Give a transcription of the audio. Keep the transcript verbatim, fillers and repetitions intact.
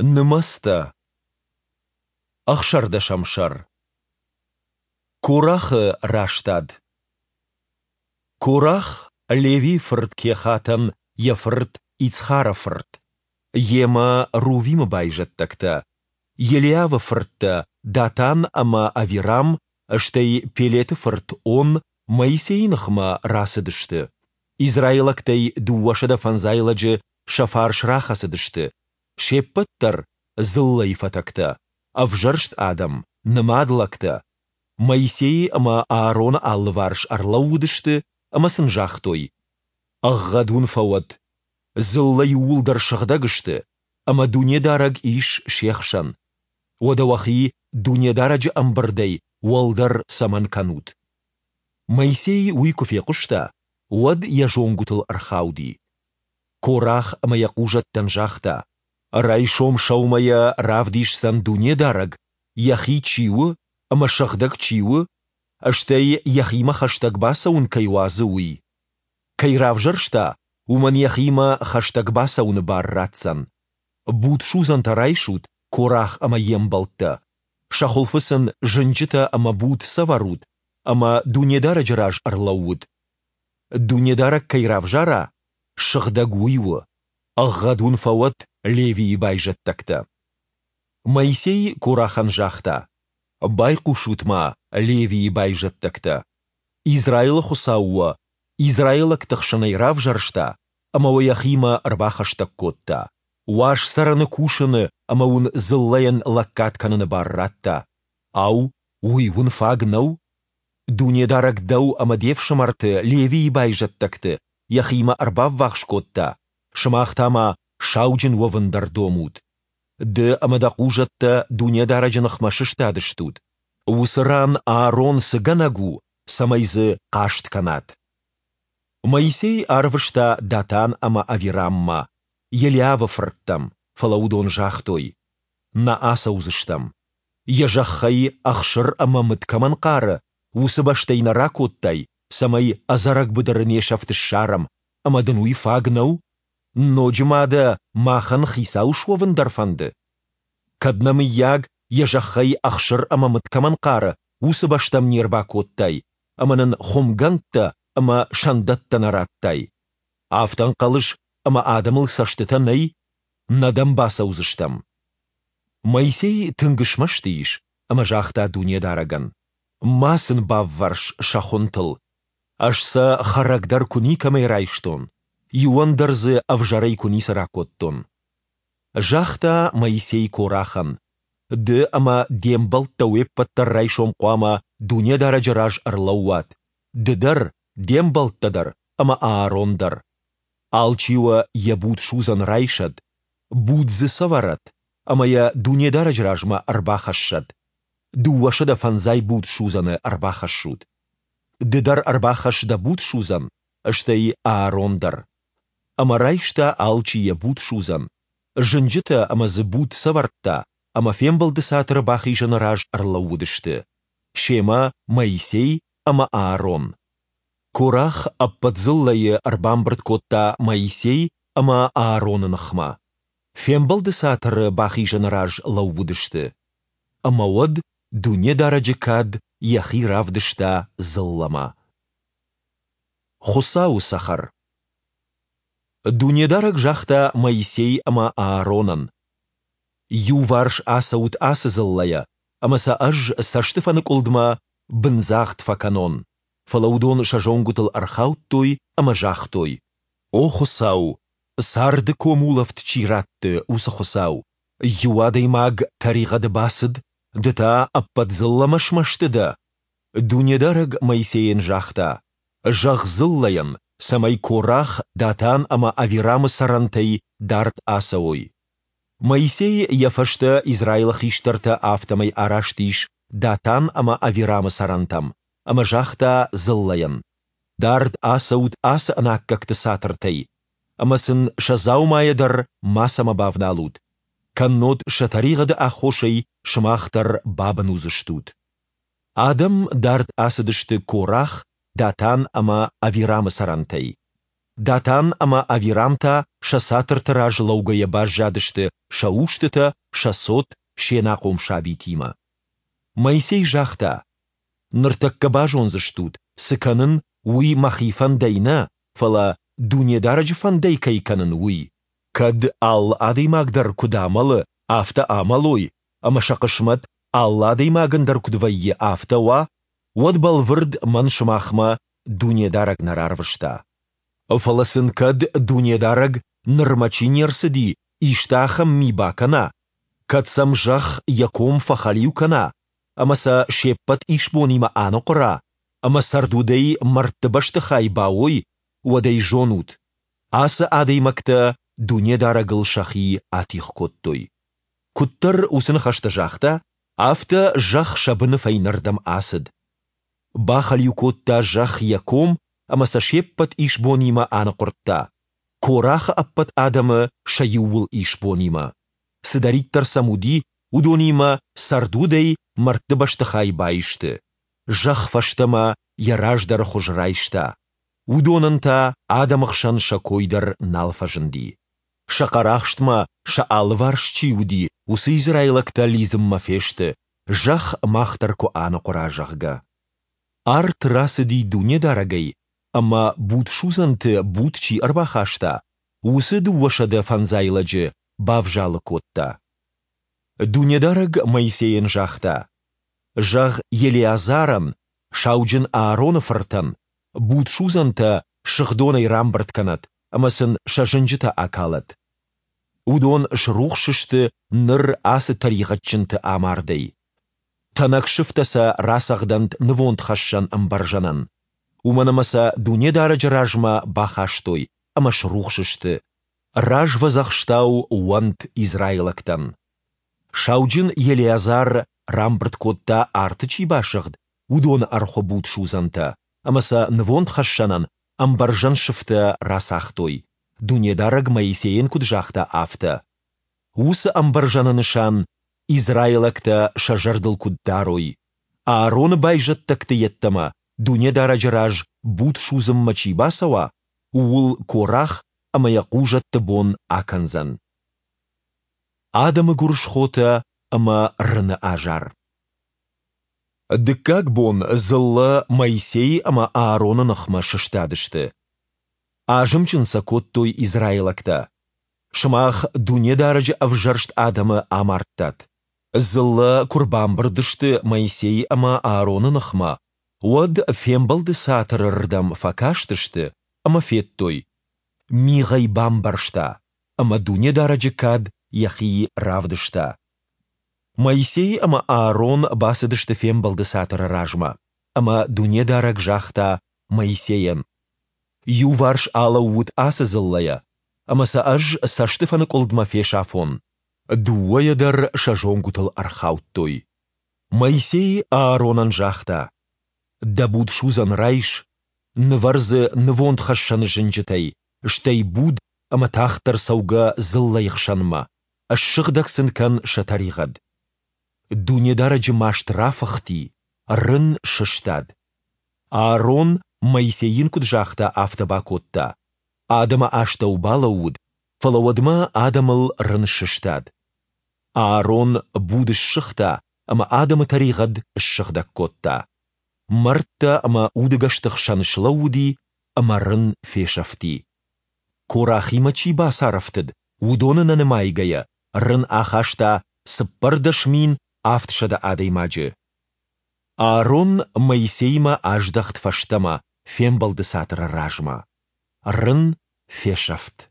Нымӕцтӕ. Ӕхсӕрдӕсӕм сӕр. Корахы растад. Корах, Левийы фырт Кехатӕн йӕ фырт Ицхары фырт, йемӕ Рувимы байзӕддӕгтӕ, Елиавы фырттӕ Датан ӕмӕ Авирам, стӕй Пелеты фырт Он Моисейы ныхмӕ рацыдысты. Израилӕгтӕй дыууӕсӕдӕ фӕндзай лӕджы сӕ фарс рахӕцыдысты, се ппӕт дӕр дзыллӕйы фӕтӕгтӕ, ӕвзӕрст адӕм, нымад лӕгтӕ. Моисей ӕмӕ Аароны алыварс ӕрлӕууыдысты ӕмӕ сын загътой: Ӕгъгъӕд уын фӕуӕд! Дзыллӕ иууылдӕр сыгъдӕг сты, ӕмӕ Дунедарӕг ис се хсӕн. Уӕдӕ уӕхи Дунедарӕджы ӕмбырдӕй уӕлдӕр цӕмӕн кӕнут? Моисей уый куы фехъуыста, уӕд йӕ зонгуытыл ӕрхауди. Корах ӕмӕ йӕ хъузӕттӕн загъта: Райсом сӕумӕйӕ равдисдзӕн Дунедарӕг, Йӕхи чи у ӕмӕ сыгъдӕг чи у, стӕй Йӕхимӕ хӕстӕг бацӕуын кӕй уадзы, уый. Кӕй равзӕрста, уымӕн Йӕхимӕ хӕстӕг бацӕуыны бар ратдзӕн. Будсудзӕнтӕ райсут, Корах ӕмӕ йе мбӕлттӕ, сӕ хуылфы сын зынджытӕ ӕмӕ буд цӕвӕрут ӕмӕ Дунедарӕджы раз ӕрлӕуут. Дунедарӕг кӕй равзара, сыгъдӕг уый у. Ӕгъгъӕд уын фӕуӕд, Левийы байзӕддӕгтӕ. Моисей Корахӕн загъта: Байхъусут-ма, Левийы байзӕддӕгтӕ! Израилы Хуыцау уӕ израилӕгты хсӕнӕй равзӕрста ӕмӕ уӕ Йӕхимӕ ӕрбахӕстӕг кодта, уаз цӕрӕны кусыны ӕмӕ уын дзыллӕйӕн лӕггад кӕныны бар радта. Ау, уый уын фаг нӕу? Дунедарӕг дӕу ӕмӕ де фсымӕрты, Левийы байзӕддӕгты, Йӕхимӕ ӕрбаввахс кодта, сымах та ма сауджын уӕвын дӕр домут. Ды ӕмӕ дӕ хъузӕттӕ Дунедарӕджы ныхмӕ сыстадыстут. Уыцы ран Аарон цы гӕнӕг у, цӕмӕй дзы хъаст кӕнат? Моисей арвыста Датан ӕмӕ Авираммӕ, Елиавы фырттӕм, фӕлӕ уыдон загътой: Нӕ ацӕудзыстӕм. Йӕ зӕххӕй ӕхсыр ӕмӕ мыд кӕмӕн хъары, уыцы бӕстӕй нӕ ракодтай, цӕмӕй ӕдзӕрӕг быдыры не сӕфт ссарӕм, ӕмӕ дын уый фаг нӕу? Ноджы ма дӕ махӕн хицау суӕвын дӕр фӕнды? Кӕд нӕ, мыййаг, йӕ зӕххӕй ӕхсыр ӕмӕ мыд кӕмӕн хъары, уыцы бӕстӕм не рбакодтай ӕмӕ нын хуымгӕндтӕ ӕмӕ сӕндӕттӕ нӕ радтай? Афтӕ ӕнхъӕлыс, ӕмӕ адӕмыл цӕстытӕ нӕй? Нӕ дӕм бацӕудзыстӕм. Моисей тынг смӕсты ис ӕмӕ загъта Дунедарӕгӕн: Ма сын баввӕрс сӕ хуынтыл. Ӕз сӕ хӕрӕг дӕр куы никӕмӕй райстон, иуӕн дӕр дзы ӕвзӕрӕй куы ницы ракодтон. Загъта Моисей Корахӕн: Ды ӕмӕ де мбӕлттӕ уе ппӕт дӕр райсом хъуамӕ Дунедарӕджы раз ӕрлӕууат, ды дӕр, де мбӕлттӕ дӕр ӕмӕ Аарон дӕр. Алчи уӕ йӕ будсудзӕн райсӕд, буд дзы цӕвӕрӕд ӕмӕ йӕ Дунедарӕджы размӕ ӕрбахӕссӕд. Дыууӕсӕдӕ фӕндзай будсудзӕны ӕрбахӕссут. Ды дӕр ӕрбахӕсс дӕ будсудзӕн, стӕй Аарон дӕр. Ӕмӕ райста алчи йӕ будсудзӕн, зынджытӕ ӕмӕ дзы буд цӕвӕрдта, ӕмӕ фембӕлды цатыры бахизӕны раз ӕрлӕууыдысты. Семӕ Моисей ӕмӕ Аарон. Корах ӕппӕт дзыллӕйы ӕрбамбырд кодта Моисей ӕмӕ Аароны ныхмӕ. Фембӕлды цатыры бахизӕны раз лӕууыдысты. Ӕмӕ уӕд Дунедарӕджы кад Йӕхи равдыста дзыллӕмӕ. Хуыцауы цӕхӕр. Дунедарӕг загъта Моисей ӕмӕ Ааронӕн: Иуварс ацӕут ацы дзыллӕйӕ, ӕмӕ сӕ Ӕз цӕстыфӕныкъуылдмӕ бындзагъд фӕкӕнон. Фӕлӕ уыдон сӕ зонгуытыл ӕрхаудтой ӕмӕ загътой: О Хуыцау, царды комулӕфт чи ратты, уыцы Хуыцау! Иу адӕймаг тӕригъӕды бацыд, Ды та ӕппӕт дзыллӕмӕ смӕсты дӕ? Дунедарӕг Моисейӕн загъта: Зӕгъ дзыллӕйӕн, цӕмӕй Корах, Датан ӕмӕ Авирамы цӕрӕнтӕй дард ацӕуой. Моисей, йӕ фӕстӕ Израилы хистӕртӕ, афтӕмӕй араст ис Датан ӕмӕ Авирамы цӕрӕнтӕм ӕмӕ загъта дзыллӕйӕн: Дард ацӕут ацы ӕнаккӕгты цатыртӕй, ӕмӕ сын сӕ дзаумайӕ дӕр мацӕмӕ бавналут, кӕннод сӕ тӕригъӕды аххосӕй сымах дӕр бабын уыдзыстут. Адӕм дард ацыдысты Корах, Датан ӕмӕ Авирамы цӕрӕнтӕй. Датан ӕмӕ Авирам та сӕ цатырты раз лӕугӕйӕ баззадысты сӕ устытӕ, сӕ цот, се нахъом сабитимӕ. Моисей загъта, Ныртӕккӕ базондзыстут, цы кӕнын, уый мӕхи фӕндӕй нӕ, фӕлӕ Дунедарӕджы фӕндӕй кӕй кӕнын, уый. Кӕд, алы адӕймаг дӕр куыд амӕлы, афтӕ амӕлой, ӕмӕ сӕ хъысмӕт, алы адӕймагӕн дӕр куыд вӕййы, афтӕ уа, уӕд бӕлвырд мӕн сымахмӕ Дунедарӕг нӕ рарвыста. Фӕлӕ сын кӕд Дунедарӕг, нырмӕ чи не рцыди, исты ахӕм ми бакӕна, кӕд сӕм зӕхх йӕ ком фӕхӕлиу кӕна ӕмӕ сӕ се ппӕт исбонимӕ аныхъуыра, ӕмӕ цӕрдудӕй мӕрдтыбӕсты хай бауой, уӕд ӕй зонут, ацы адӕймӕгтӕ Дунедарӕгыл сӕхи атигъ кодтой. Куыддӕр уыцы ныхӕстӕ загъта, афтӕ зӕхх сӕ быны фӕйнӕрдӕм ацыд. Бахӕлиу кодта зӕхх йӕ ком ӕмӕ сӕ се ппӕт исбонимӕ аныхъуырдта, Корахы ӕппӕт адӕмы сӕ иууыл исбонимӕ. Цыдӕриддӕр сӕм уыди, уыдонимӕ цӕрдудӕй мӕрдтыбӕсты хай баисты. Зӕхх фӕстӕмӕ йӕ раздӕры хуыз райста, уыдонӕн та адӕмы хсӕн сӕ кой дӕр нал фӕзынди. Сӕ хъӕрахстмӕ сӕ алыварс чи уыди, уыцы израилӕгтӕ лидзынмӕ фесты, зӕхх мах дӕр куы аныхъуыра, зӕгъгӕ. Арт рацыди Дунедарӕгӕй ӕмӕ, будсудзӕнты буд чи ӕрбахаста, уыцы дыууӕсӕдӕ фӕндзай лӕджы бавзалы кодта. Дунедарӕг Моисейӕн загъта, Зӕгъ Елеазарӕн, сауджын Аароны фыртӕн, будсудзӕнтӕ сыгъдонӕй рамбырд кӕнӕд ӕмӕ сын сӕ зынджытӕ акалӕд. Уыдон срухс сты ныр ацы тӕригъӕдджынты амардӕй. Тӕнӕг сыфтӕ сӕ рацӕгъдӕнт нывондхӕссӕн ӕмбӕрзӕнӕн. Уымӕн ӕмӕ сӕ Дунедарӕджы размӕ бахастой ӕмӕ срухс сты, развӕдзӕхстау уӕнт израилӕгтӕн. Сауджын Елеазар рамбырд кодта, арты чи басыгъд, уыдоны ӕрхуы будсудзӕнтӕ, ӕмӕ сӕ нывондхӕссӕнӕн ӕмбӕрзӕн сыфтӕ рацагътой, Дунедарӕг Моисейӕн куыд загъта, афтӕ. Уыцы ӕмбӕрзӕны нысан израилӕгтӕ сӕ зӕрдыл куыд дарой: Аароны байзӕддӕгты йеддӕмӕ Дунедарӕджы раз буд судзынмӕ чи бацӕуа, ууыл Корах ӕмӕ йӕ хъузӕтты бон акӕндзӕн. Адӕмы гуырысхотӕ ӕмӕ рыны азар. Дыккаг бон дзыллӕ Моисей ӕмӕ Аароны ныхмӕ сыстадысты. Азымджын сӕ кодтой израилӕгтӕ: Сымах Дунедарӕджы ӕвзӕрст адӕмы амардтат. Дзыллӕ куы рбамбырд сты Моисей ӕмӕ Аароны ныхмӕ, уӕд Фембӕлды Цатыры рдӕм фӕкастысты ӕмӕ федтой, мигъ ӕй бамбӕрзта, ӕмӕ Дунедарӕджы кад йӕхи равдыста. Моисей ӕмӕ Аарон бацыдысты Фембӕлды Цатыры размӕ, ӕмӕ Дунедарӕг загъта Моисейӕн: Иуварс алӕуут ацы дзыллӕйӕ, ӕмӕ сӕ Ӕз цӕстыфӕныкъуылдмӕ фесафон. Дыууӕйӕ дӕр сӕ зонгуытыл ӕрхаудтой. Моисей Ааронӕн загъта: Дӕ будсудзӕн райс, нывӕр дзы нывондхӕссӕны зынджытӕй, стӕй буд ӕмӕ тагъддӕр цӕугӕ дзыллӕйы хсӕнмӕ, ссыгъдӕг сын кӕн сӕ тӕригъӕд. Дунедарӕджы маст рафыхти, рын сыстад. Аарон, Моисей йын куыд загъта, афтӕ бакодта. Адӕмы астӕу балӕууыд, фӕлӕ уӕдмӕ адӕмыл рын сыстад. Аарон буд ссыгъта ӕмӕ адӕмы тӕригъӕд ссыгъдӕг кодта. Мӕрдтӕ ӕмӕ удӕгӕсты хсӕн слӕууыди, ӕмӕ рын фесӕфти. Корахимӕ чи бацарӕфтыд, уыдоны нӕ нымайгӕйӕ, рын ахаста цыппӕрдӕс мин авдсӕдӕ адӕймаджы. Аарон Моисеимӕ аздӕхт фӕстӕмӕ Фембӕлды Цатыры размӕ. Рын фесӕфт.